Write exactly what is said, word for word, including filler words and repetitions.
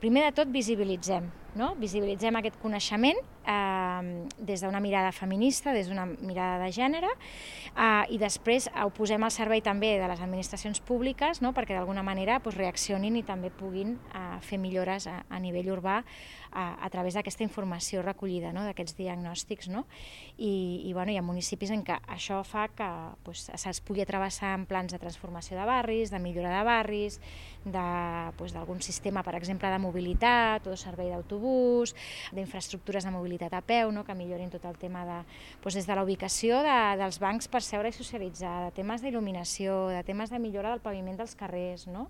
Primer de tot visibilitzem, no? Visibilitzem aquest coneixement eh, des d'una mirada feminista, des d'una mirada de gènere, eh, i després ho posem al servei també de les administracions públiques, no? Perquè d'alguna manera doncs, reaccionin i també puguin eh, fer millores a, a nivell urbà a, a través d'aquesta informació recollida, no? D'aquests diagnòstics. No? I, i bueno, hi ha municipis en què això fa que doncs, se'ls pugui travessar en plans de transformació de barris, de millora de barris, d'algun doncs, sistema, per exemple, de mobilitat o de servei d'autobús, d'infraestructures de mobilitat a peu, no? Que millorin tot el tema de, doncs, des de la ubicació de, dels bancs per seure i socialitzar, de temes d'il·luminació, de temes de millora del paviment dels carrers, no?